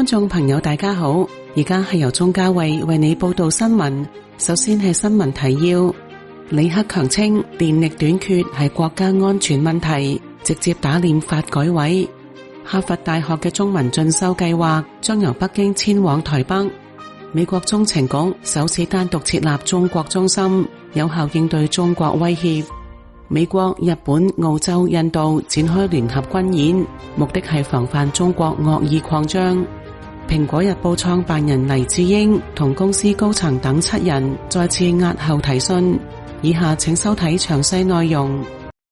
觀眾朋友大家好，而家係由鍾嘉慧為你報道新聞。首先係新聞提要。李克強稱電力短缺係國家安全問題，直接打臉發改委。哈佛大學嘅中文進修計劃將由北京遷往台北。美國中情局首次單獨設立中國中心，有效應對中國威脅。美國、日本、澳洲、印度展開聯合軍演，目的係防範中國惡意擴張。蘋果日報創辦人黎智英同公司高層等7人再次押後提訊。以下請收睇詳細內容。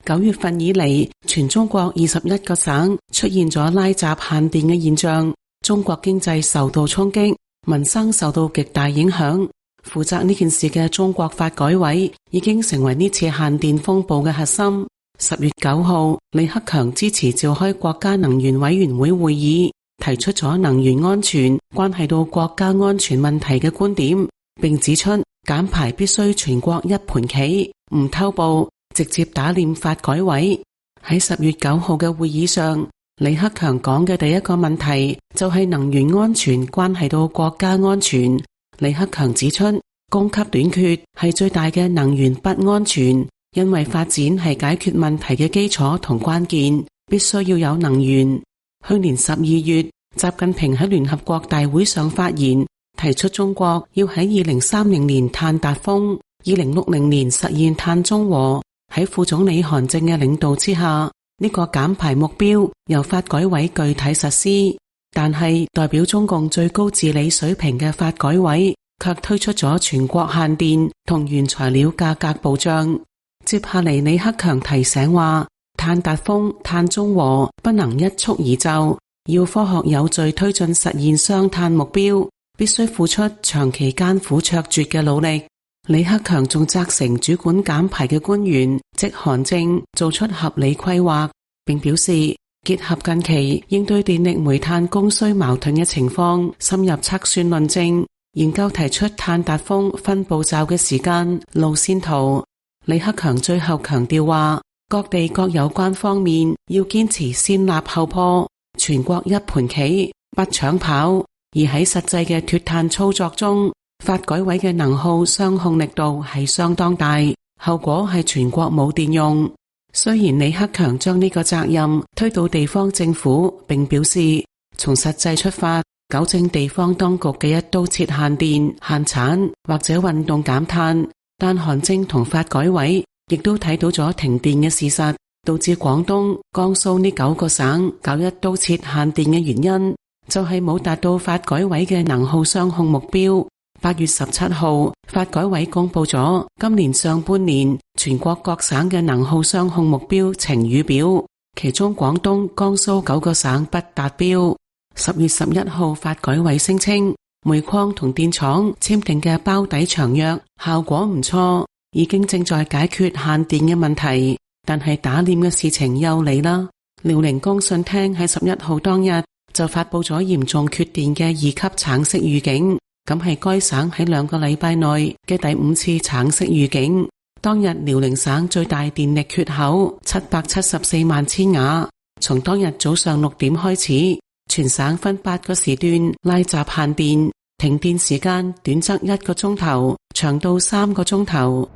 9月份以嚟，全中國21個省出現咗拉閘限電嘅現象，中國經濟受到衝擊，民生受到極大影響。負責呢件事嘅中國發改委已經成為呢次限電風暴嘅核心。10月9號，李克強支持召開國家能源委員會會議，提出咗能源安全關係到國家安全問題嘅觀點，並指出減排必須全國一盤棋，唔偷步，直接打臉發改委。喺10月9號嘅會議上，李克強講嘅第一個問題就係能源安全關係到國家安全。李克強指出，供給短缺係最大嘅能源不安全，因為發展係解決問題嘅基礎同關鍵，必須要有能源。去年12月，習近平喺聯合國大會上發言，提出中國要喺2030年碳達峰，2060年實現碳中和。喺副總理韓正嘅領導之下，呢個減排目標由發改委具體實施。但係代表中共最高治理水平嘅發改委卻推出咗全國限電同原材料價格保障。接下嚟李克強提醒話，碳達峰、碳中和不能一蹴而就，要科學有序推進實現雙碳目標，必須付出長期艱苦卓絕嘅努力。李克強仲責成主管減排嘅官員即韓正做出合理規劃，並表示結合近期應對電力煤炭供需矛盾嘅情況，深入測算論證，研究提出碳達峰分步驟嘅時間路線圖。李克強最後強調話，各地各有關方面要堅持先立後破，全國一盤棋，不搶跑。而喺實際嘅脫碳操作中，發改委嘅能耗雙控力度係相當大，後果係全國冇電用。雖然李克強將呢個責任推到地方政府，並表示從實際出發，糾正地方當局嘅一刀切限電、限產或者運動減碳，但韓正同發改委亦都睇到咗停電嘅事實，導致廣東、江蘇呢9個省搞一刀切限電嘅原因，就係冇達到發改委嘅能耗雙控目標。8月17號，發改委公布咗今年上半年全國各省嘅能耗雙控目標晴雨表，其中廣東、江蘇9個省不達標。10月11號，發改委聲稱煤礦同電廠簽訂嘅包底長約效果唔錯，已經正在解決限電嘅問題。但係打臉嘅事情又嚟啦，遼寧工信廳喺11號當日就發布咗嚴重缺電嘅2級橙色預警。咁係該省喺2個禮拜內嘅第5次橙色預警。當日遼寧省最大電力缺口774萬千瓦，從當日早上6點開始，全省分8個時段拉閘限電，停電時間短則1個鐘頭，長到3個鐘頭。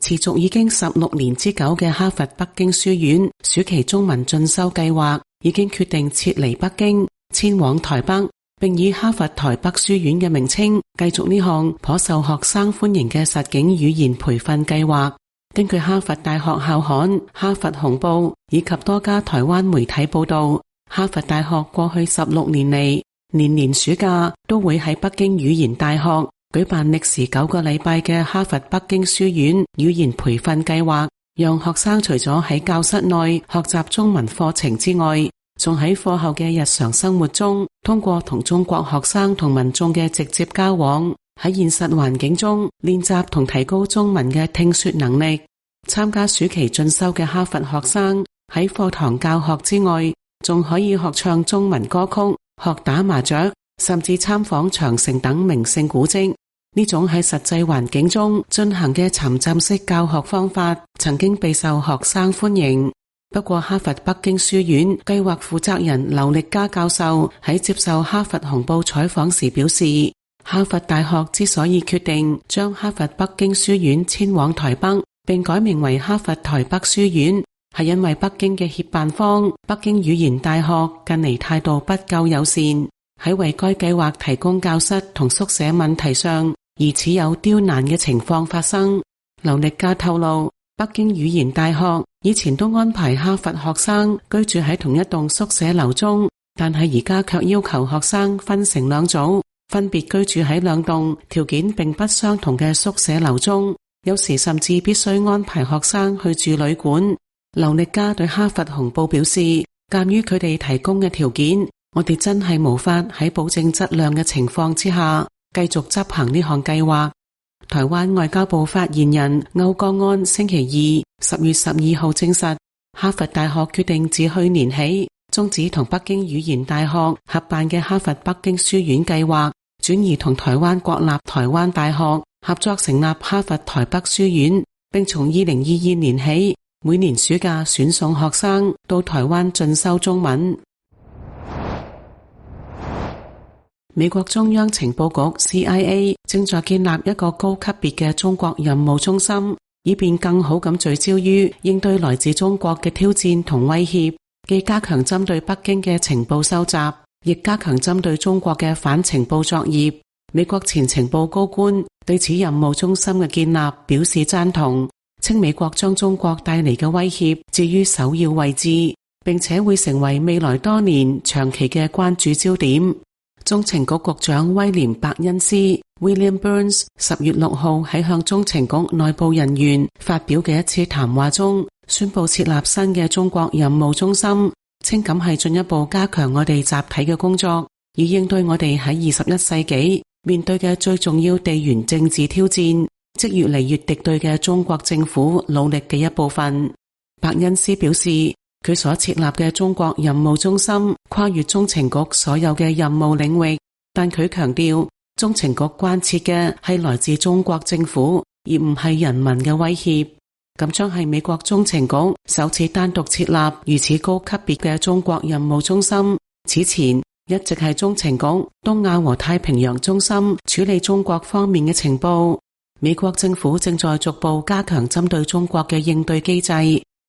持續已經16年之久嘅哈佛北京書院暑期中文進修計劃已經決定撤離北京，遷往台北，並以哈佛台北書院嘅名稱繼續呢項頗受學生歡迎嘅實境語言培訓計劃。根據哈佛大學校刊《哈佛紅報》以及多家台灣媒體報道，哈佛大學過去16年嚟，年年暑假都會喺北京語言大學舉辦歷時9個禮拜嘅哈佛北京書院語言培訓計劃，讓學生除咗喺教室內學習中文課程之外，仲喺課後嘅日常生活中，通過同中國學生同民眾嘅直接交往，喺現實環境中練習同提高中文嘅聽說能力。參加暑期進修嘅哈佛學生喺課堂教學之外，仲可以學唱中文歌曲、學打麻雀，甚至參訪長城等名勝古蹟。呢種喺實際環境中進行嘅沉浸式教學方法，曾經備受學生歡迎。不過哈佛北京書院計劃負責人劉力嘉教授喺接受哈佛紅報採訪時表示，哈佛大學之所以決定將哈佛北京書院遷往台北，並改名為哈佛台北書院，係因為北京嘅協辦方北京語言大學近嚟態度不夠友善，喺為該計劃提供教室同宿舍問題上，疑似有刁難嘅情況發生。劉力嘉透露，北京語言大學以前都安排哈佛學生居住喺同一棟宿舍樓中，但係而家卻要求學生分成兩組，分別居住喺兩棟條件並不相同嘅宿舍樓中，有時甚至必須安排學生去住旅館。劉力嘉對哈佛紅報表示，鑒於佢哋提供嘅條件，我哋真係無法喺保證質量嘅情況之下繼續執行呢項計劃。台灣外交部發言人歐江安星期二10月12號證實，哈佛大學決定自去年起終止同北京語言大學合辦嘅哈佛北京書院計劃，轉移同台灣國立台灣大學合作成立哈佛台北書院，並從2022年起每年暑假選送學生到台灣進修中文。美國中央情報局 CIA 正在建立一個高級別嘅中國任務中心，以便更好咁聚焦於應對來自中國嘅挑戰同威脅，既加強針對北京嘅情報收集，亦加強針對中國嘅反情報作業。美國前情報高官對此任務中心嘅建立表示贊同，稱美國將中國帶嚟嘅威脅置於首要位置，並且會成為未來多年長期嘅關注焦點。中情局局長威廉伯恩斯 William Burns 10月6號喺向中情局內部人員發表嘅一次談話中，宣布設立新嘅中國任務中心，稱咁係進一步加強我哋集體嘅工作，以應對我哋喺21世紀面對嘅最重要地緣政治挑戰，即越嚟越敵對嘅中國政府努力嘅一部分。伯恩斯表示，佢所設立嘅中國任務中心跨越中情局所有嘅任務領域，但佢強調中情局關切嘅係來自中國政府，而唔係人民嘅威脅。咁將係美國中情局首次單獨設立如此高級別嘅中國任務中心，此前一直係中情局東亞和太平洋中心處理中國方面嘅情報。美國政府正在逐步加強針對中國嘅應對機制。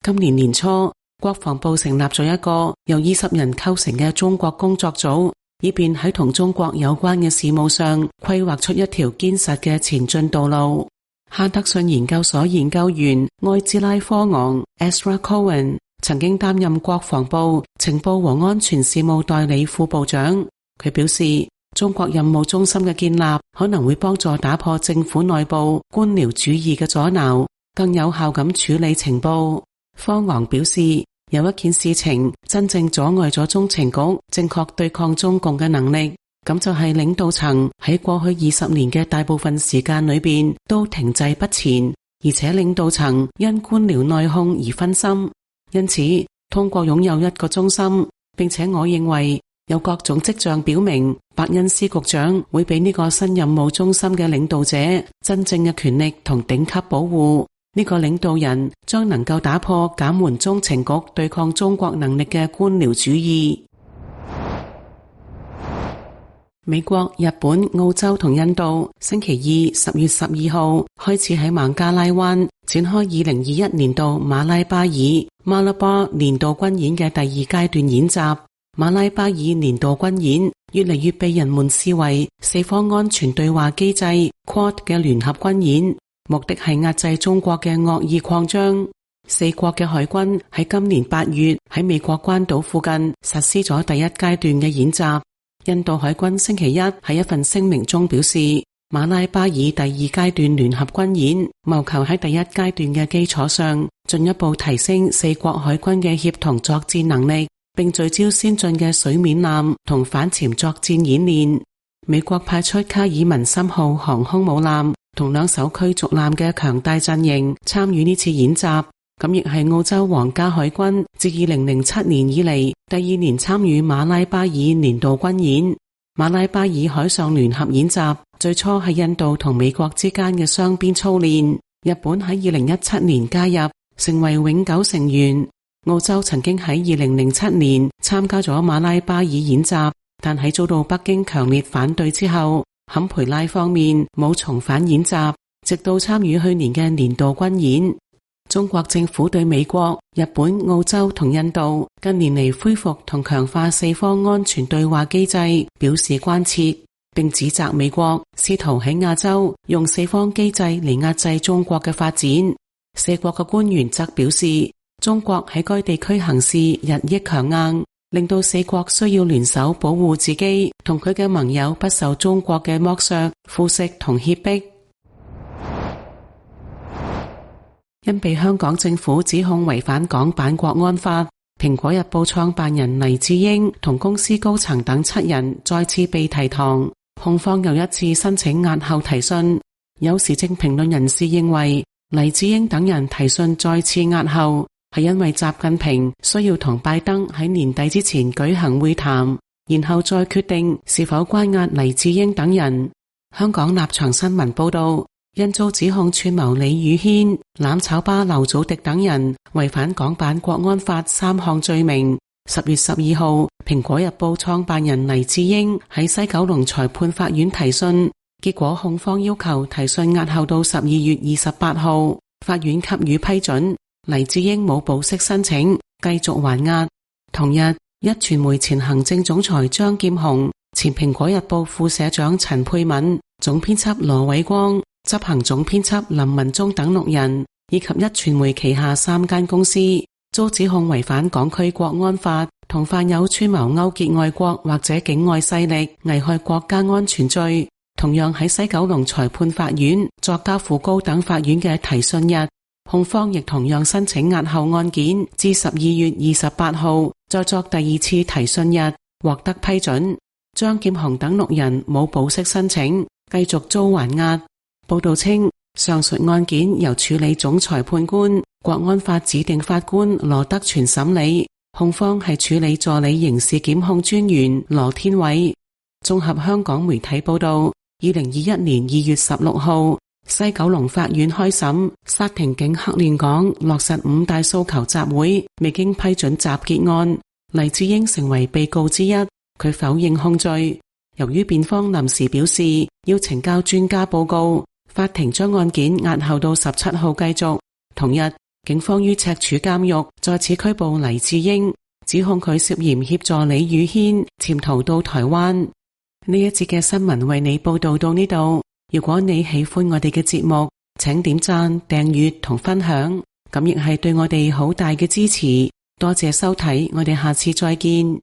今年年初，國防部成立咗一個由20人構成嘅中國工作組，以便喺同中國有關嘅事務上規劃出一條堅實嘅前進道路。哈德遜研究所研究員埃茲拉科昂 Ezra Cohen 曾經擔任國防部情報和安全事務代理副部長。佢表示，中國任務中心嘅建立可能會幫助打破政府內部官僚主義嘅阻撓，更有效咁處理情報。科昂表示，有一件事情真正阻礙咗中情局正確對抗中共嘅能力，咁就係領導層喺過去20年嘅大部分時間裏邊都停滯不前，而且領導層因官僚內訌而分心。因此，通過擁有一個中心，並且我認為有各種跡象表明，伯恩斯局長會俾呢個新任務中心嘅領導者真正嘅權力同頂級保護。呢個領導人將能夠打破減緩中情局對抗中國能力嘅官僚主義。美國、日本、澳洲同印度星期二10月12號開始喺孟加拉灣展開2021年度馬拉巴爾 Malabar 年度軍演嘅第2階段演習。馬拉巴爾年度軍演越嚟越被人們視為四方安全對話機制 Quad 嘅聯合軍演，目的係壓制中國嘅惡意擴張。四國嘅海軍喺今年8月喺美國關島附近實施咗第1階段嘅演習。印度海軍星期一喺一份聲明中表示，馬拉巴爾第2階段聯合軍演謀求喺第1階段嘅基礎上進一步提升四國海軍嘅協同作戰能力，並聚焦先進嘅水面艦同反潛作戰演練。美國派出卡爾文森號航空母艦同2艘驅逐艦嘅強大陣營參與呢次演習，咁亦係澳洲皇家海軍自2007年以嚟第2年參與馬拉巴爾年度軍演。馬拉巴爾海上聯合演習最初係印度同美國之間嘅雙邊操練，日本喺2017年加入，成為永久成員。澳洲曾經喺2007年參加咗馬拉巴爾演習，但喺遭到北京強烈反對之後，坎培拉方面冇重返演習，直到參與去年嘅年度軍演。中國政府對美國、日本、澳洲同印度近年嚟恢復同強化四方安全對話機制表示關切，並指責美國試圖喺亞洲用四方機制嚟壓制中國嘅發展。四國嘅官員則表示，中國喺該地區行事日益強硬，令到四國需要聯手保護自己同佢嘅盟友不受中國嘅剝削、腐蝕同脅迫。因被香港政府指控違反港版國安法，蘋果日報創辦人黎智英同公司高層等7人再次被提堂，控方又一次申請押後提訊。有時政評論人士認為，黎智英等人提訊再次押後，係因為習近平需要同拜登喺年底之前舉行會談，然後再決定是否關押黎智英等人。香港立場新聞報道，因遭指控串謀李宇軒、攬炒巴劉祖迪等人違反港版國安法3項罪名，10月12號，蘋果日報創辦人黎智英喺西九龍裁判法院提訊，結果控方要求提訊押後到12月28號，法院給予批准。黎智英冇保釋申請，繼續還押。同日，壹傳媒前行政總裁張劍虹、前蘋果日報副社長陳佩敏、總編輯羅偉光、執行總編輯林文忠等6人，以及壹傳媒旗下3間公司，遭指控違反港區國安法，同犯有串謀勾結外國或者境外勢力危害國家安全罪，同樣喺西九龍裁判法院作交付高等法院嘅提訊日。控方亦同樣申請押後案件至12月28號，再作第2次提訊日，獲得批准。張劍虹等6人冇保釋申請，繼續遭還押。報道稱，上述案件由處理總裁判官、國安法指定法官羅德全審理，控方係處理助理刑事檢控專員羅天偉。綜合香港媒體報道，2021年2月16號，西九龍法院開審沙田警黑亂港落實5大訴求集會未經批准集結案，黎智英成為被告之一，佢否認控罪。由於辯方臨時表示要呈交專家報告，法庭將案件押後到17號繼續。同日，警方於赤柱監獄再次拘捕黎智英，指控佢涉嫌協助李宇軒潛逃到台灣。呢一節嘅新聞為你報道到呢度。如果你喜歡我哋嘅節目，請點讚、訂閱同分享，咁亦係對我哋好大嘅支持。多謝收睇，我哋下次再見。